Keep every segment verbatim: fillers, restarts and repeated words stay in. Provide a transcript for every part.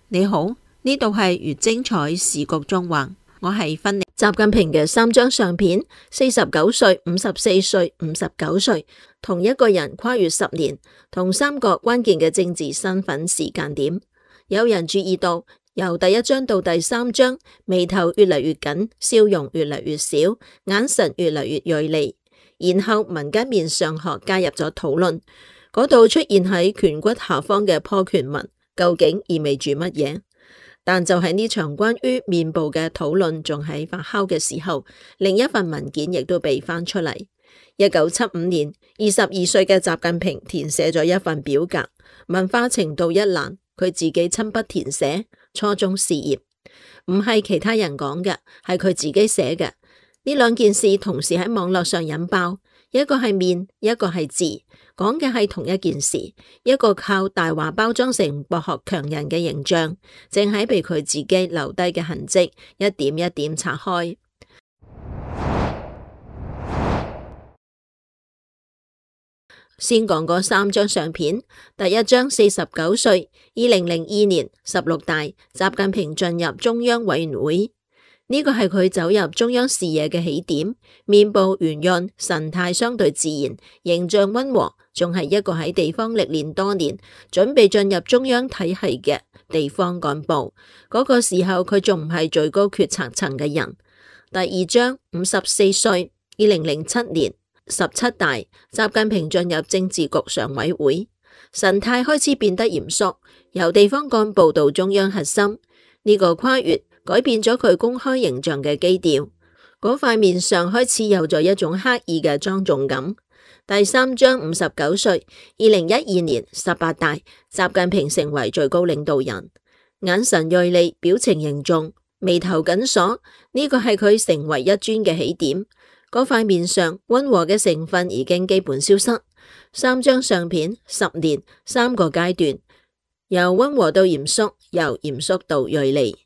你好，呢度係越精彩時局縱橫，我係芬妮。習近平嘅三張相片，四十九歲、五十四歲、五十九歲，同一個人跨越十年，同三個關鍵嘅政治身份時間點。有人注意到，由第一張到第三張，眉頭越嚟越緊，笑容越嚟越少，眼神越嚟越銳利。然後民間面相學加入咗討論，嗰度出現喺顴骨下方嘅破顴紋，究竟意味住乜嘢？但就喺呢場關於面部嘅討論仲喺發酵嘅時候，另一份文件亦都被翻出嚟。一九七五年，二十二歲嘅習近平填寫咗一份表格，文化程度一欄，佢自己親筆填寫。初中事業唔係其他人講嘅，係佢自己寫嘅。呢兩件事同時喺網絡上引爆，一個係面，一個係字，講嘅係同一件事。一個靠大話包裝成博學強人嘅形象，正喺被佢自己留低嘅痕跡一點一點拆開。先講嗰三張相片，第一張四十九歲，二零零二年十六大，習近平進入中央委員會。呢個係佢走入中央視野嘅起點，面部圓潤，神態相對自然，形象溫和，仲係一個喺地方歷練多年，準備進入中央體系嘅地方幹部。嗰個時候佢仲唔係最高決策層嘅人。第二張五十四歲，二零零七年十七大，習近平進入政治局常委會，神態開始變得嚴肅，由地方幹部到中央核心，呢個跨越改變咗佢公開形象嘅基調，嗰塊面上開始有咗一種刻意嘅莊重感。第三張五十九歲，二零一二年十八大，習近平成為最高領導人，眼神銳利，表情凝重，眉頭緊鎖，呢個係佢成為一尊嘅起點。嗰塊面上溫和嘅成分已經基本消失。三張相片，十年，三個階段，由溫和到嚴肅，由嚴肅到銳利。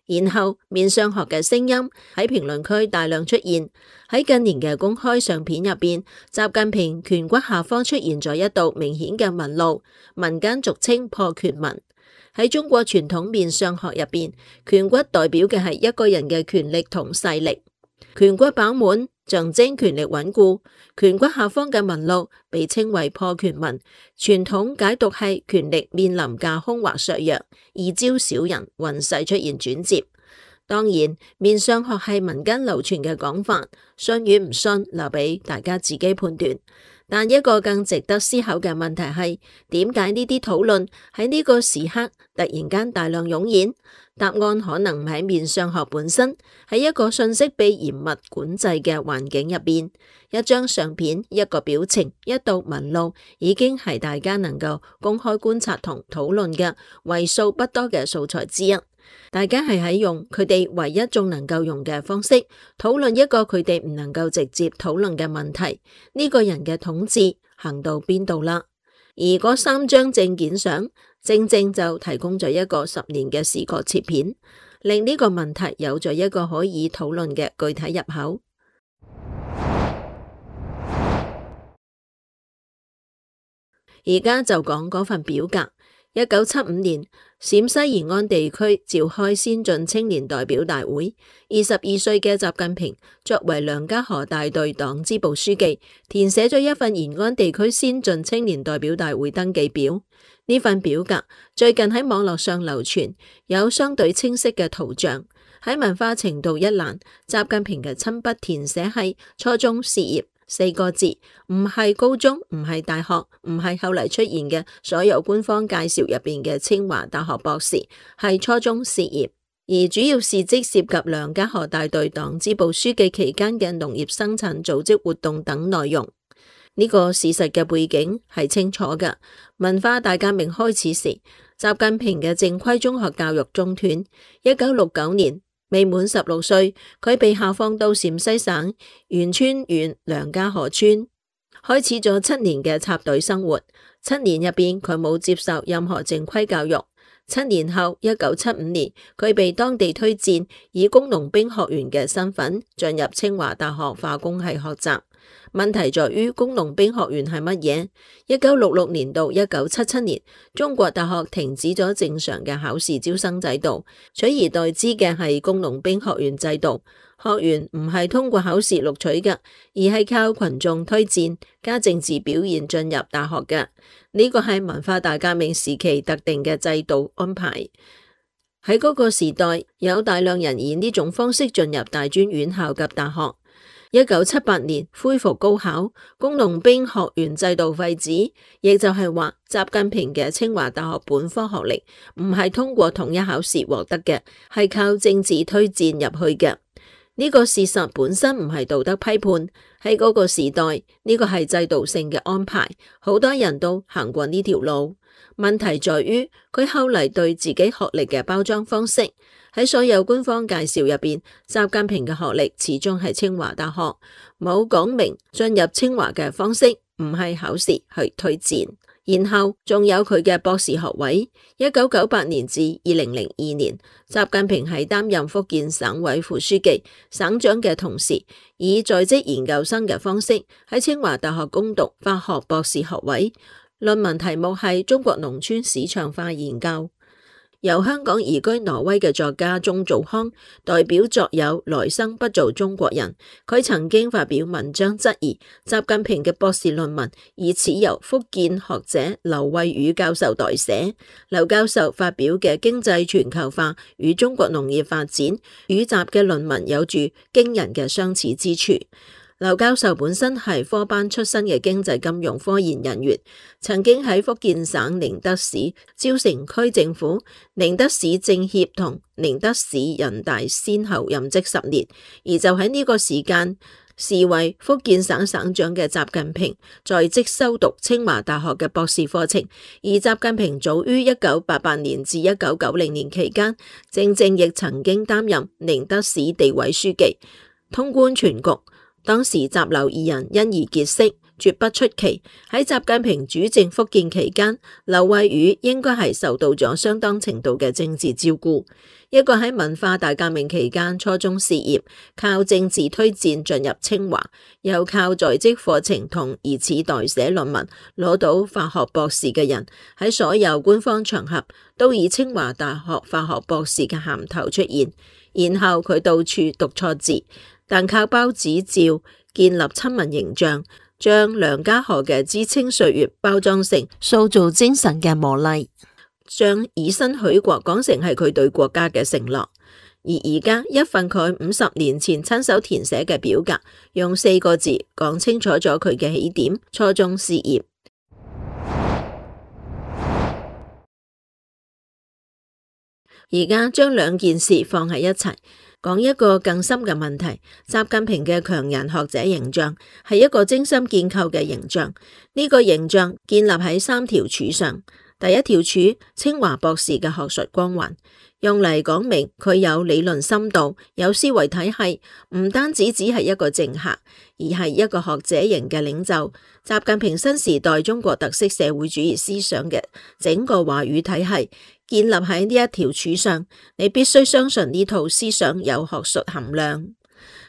然後面相學嘅聲音喺評論區大量出現。喺近年嘅公開相片入邊，習近平顴骨下方出現咗一道明顯嘅紋路，民間俗稱破顴紋。喺中國傳統面相學入邊，顴骨代表嘅係一個人嘅權力同勢力，顴骨飽滿象徵權力穩固，顴骨下方嘅紋路被稱為破顴紋，傳統解讀係權力面臨架空或削弱，易招小人，運勢出現轉折。當然，面相學係民間流傳嘅講法，信與唔信留俾大家自己判斷。但一個更值得思考嘅問題係，點解呢啲討論喺呢個時刻突然間大量湧現？答案可能唔喺面相學本身，喺一個信息被嚴密管制嘅環境入邊。一張相片、一個表情、一道紋路，已經係大家能夠公開觀察同討論嘅為數不多嘅素材之一。大家係喺用佢哋唯一仲能夠用嘅方式討論一個佢哋唔能夠直接討論嘅問題，呢個人嘅統治行到邊度啦？而嗰三張證件相正正就提供咗一個十年嘅視覺切片，令呢個問題有咗一個可以討論嘅具體入口。而家就講嗰份表格。一九七五年，陝西延安地區召開先進青年代表大會，二十二歲嘅習近平作為梁家河大隊黨支部書記，填寫咗一份延安地區先進青年代表大會登記表。呢份表格最近喺網絡上流傳，有相對清晰嘅圖像。喺文化程度一欄，習近平嘅親筆填寫係初中事業四個字，唔係高中，唔係大學，唔係後嚟出現嘅所有官方介紹入邊嘅清華大學博士，係初中事業。而主要事蹟涉及梁家河大隊黨支部書記期間嘅農業生產組織活動等內容。呢個事實嘅背景係清楚嘅。文化大革命開始時，習近平嘅正規中學教育中斷。一九六九年，未滿十六歲，佢被下放到陝西省員村縣梁家河村，開始咗七年嘅插隊生活。七年入邊，佢冇接受任何正規教育。七年後，一九七五年，佢被當地推薦以工農兵學員嘅身份進入清華大學化工系學習。問題在於工農兵學院係乜嘢？一九六六年到一九七七年，中國大學停止咗正常嘅考試招生制度，取而代之嘅係工農兵學院制度。學員唔係通過考試錄取嘅，而係靠群眾推薦加政治表現進入大學嘅。呢個係文化大革命時期特定嘅制度安排。喺嗰個時代，有大量人以呢種方式進入大專院校及大學。一九七八年恢復高考，工農兵學院制度廢止，亦就係話習近平嘅清華大學本科學歷唔係通過統一考試獲得嘅，係靠政治推薦入去嘅。呢個事實本身唔係道德批判，喺嗰個時代呢個係制度性嘅安排，好多人都行過呢條路。問題在於佢後嚟對自己學歷嘅包裝方式。喺所有官方介紹入邊，習近平嘅學歷始終係清華大學，冇講明進入清華嘅方式唔係考試去推薦。然後仲有佢嘅博士學位。一九九八年至二零零二年，習近平喺擔任福建省委副書記、省長嘅同時，以在職研究生嘅方式喺清華大學攻讀法學博士學位，論文題目係中國農村市場化研究。由香港移居挪威嘅作家鍾祖康代表作有《來生不做中國人》，佢曾經發表文章質疑習近平嘅博士論文疑似由福建學者劉慧宇教授代寫。劉教授發表嘅《經濟全球化與中國農業發展》與習嘅論文有住驚人嘅相似之處。劉教授本身係科班出身嘅經濟金融科研人員，曾經喺福建省寧德市蕉城區政府、寧德市政協同寧德市人大先後任職十年，而就喺呢個時間，時為福建省省長嘅習近平在職修讀清華大學嘅博士課程，而習近平早於一九八八年至一九九零年期間，正正亦曾經擔任寧德市地委書記，通觀全局。當時習劉二人因而結識，絕不出奇。喺習近平主政福建期間，劉慧宇應該係受到咗相當程度嘅政治照顧。一個喺文化大革命期間初中肄業，靠政治推薦進入清華，又靠在職課程同疑似代寫論文攞到法學博士嘅人，喺所有官方場合都以清華大學法學博士嘅銜頭出現。然後佢到處讀錯字，但靠包子照建立親民形象，將梁家河嘅知青歲月包裝成塑造精神嘅磨礪，將以身許國講成係佢對國家嘅承諾。而而家一份佢五十年前親手填寫嘅表格，用四個字講清楚咗佢嘅起點：初中肄業。而家將兩件事放喺一齊，講一個更深嘅問題。習近平嘅強人學者形象係一個精心建構嘅形象，呢個形象建立喺三條柱上。第一條柱，清華博士嘅學術光環，用嚟講明佢有理論深度，有思維體系，唔單止只係一個政客，而係一個學者型嘅領袖。習近平新時代中國特色社會主義思想嘅整個話語體系建立喺呢一條柱上，你必須相信呢套思想有學術含量，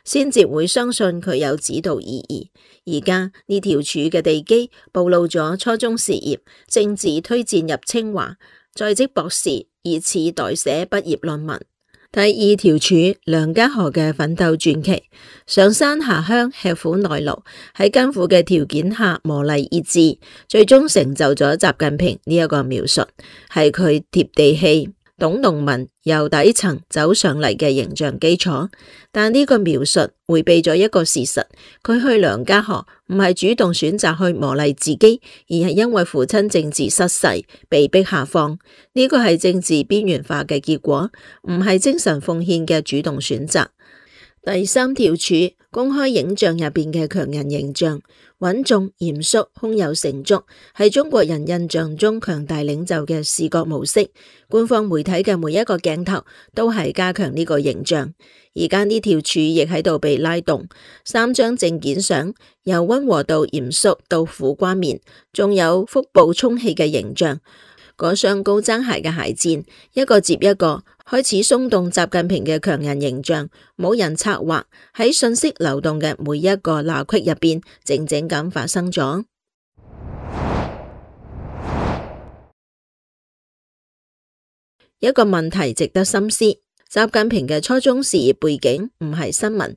先至會相信佢有指導意義。而家呢條柱嘅地基暴露咗初中肄業，政治推薦入清華，在職博士疑似代寫畢業論文。第二條柱，梁家河嘅奮鬥傳奇，上山下鄉吃苦耐勞，喺艱苦嘅條件下磨礪意志，最終成就咗習近平呢一個描述，係佢貼地氣、懂農民、由底層走上嚟嘅形象基礎。但呢個描述迴避咗一個事實，佢去梁家河唔係主動選擇去磨礪自己，而係因為父親政治失勢被逼下放。呢個係政治邊緣化嘅結果，唔係精神奉獻嘅主動選擇。第三條柱，公開影像入邊嘅強人形象，穩重、嚴肅、胸有成竹，係中國人印象中強大領袖嘅視覺模式。官方媒體嘅每一個鏡頭都係加強呢個形象。而家呢條柱亦喺度被拉動，三張證件相由溫和到嚴肅到苦瓜面，仲有腹部充氣嘅形象。嗰雙高踭鞋嘅鞋墊，一個接一個開始鬆動習近平嘅強人形象，冇人策劃，喺信息流動嘅每一個罅隙入邊，靜靜咁發生咗。一個問題值得深思：習近平嘅初中事業背景唔係新聞，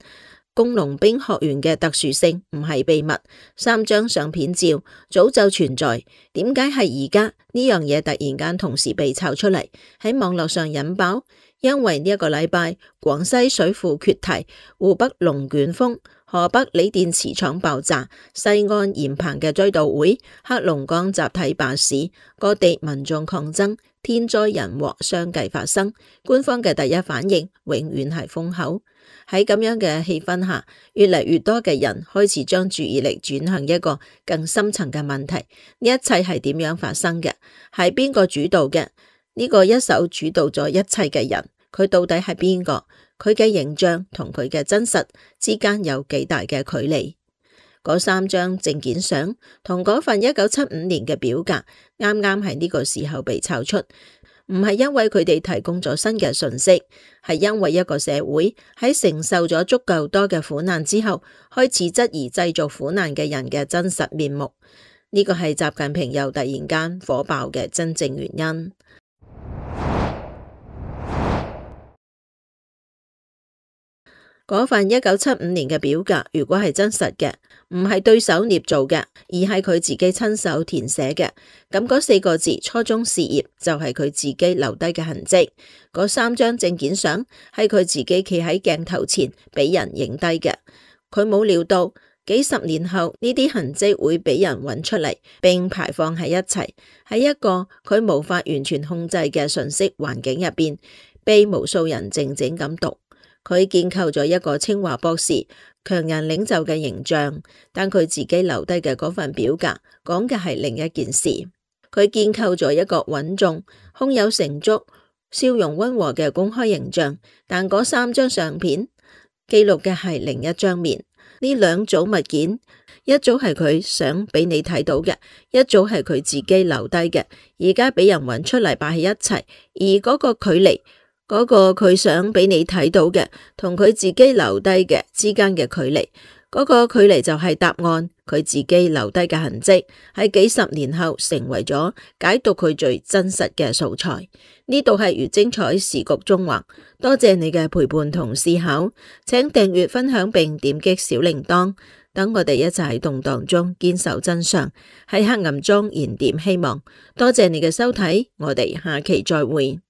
工農兵學院嘅特殊性唔係秘密，三張相片照早就存在，點解係而家呢樣嘢突然間同時被炒出嚟，喺網絡上引爆？因為呢一個禮拜，廣西水庫決堤，湖北龍捲風，河北鋰電池廠爆炸，西安鹽棚嘅追悼會，黑龍江集體罷市，各地民眾抗爭，天災人禍相繼發生，官方嘅第一反應永遠係封口。喺咁樣嘅氣氛下，越嚟越多嘅人開始將注意力轉向一個更深層嘅問題：呢一切係點樣發生嘅？係邊個主導嘅？呢個一手主導咗一切嘅人，佢到底係邊個？佢嘅形象同佢嘅真實之間有幾大嘅距離？嗰三張證件相同嗰份一九七五年嘅表格，啱啱喺呢個時候被炒出，唔係因為佢哋提供咗新嘅信息，係因為一個社會喺承受咗足夠多嘅苦難之後，開始質疑製造苦難嘅人嘅真實面目。呢個係習近平又突然間火爆嘅真正原因。嗰份一九七五年嘅表格，如果係真實嘅，唔係對手捏造嘅，而係佢自己親手填寫嘅，咁嗰四個字初中事業就係佢自己留低嘅痕跡。嗰三張證件相係佢自己企喺鏡頭前俾人影低嘅。佢冇料到幾十年後呢啲痕跡會俾人揾出嚟，並排放喺一齊，喺一個佢無法完全控制嘅信息環境入邊，被無數人靜靜咁讀。佢建構咗一個清華博士、強人領袖嘅形象，但佢自己留低嘅嗰份表格講嘅係另一件事。佢建構咗一個穩重、胸有成竹、笑容溫和嘅公開形象，但嗰三張相片記錄嘅係另一張面。呢兩組物件，一組係佢想俾你睇到嘅，一組係佢自己留低嘅，而家俾人揾出嚟擺喺一齊，而嗰個距離。嗰個佢想俾你睇到嘅，同佢自己留低嘅之間嘅距離，嗰個距離就係答案。佢自己留低嘅痕跡，喺幾十年後成為咗解讀佢最真實嘅素材。呢度係粵精彩時局中環，多謝你嘅陪伴同思考，請訂閱、分享並點擊小鈴鐺，等我哋一齊喺動盪中堅守真相，喺黑暗中燃點希望。多謝你嘅收睇，我哋下期再會。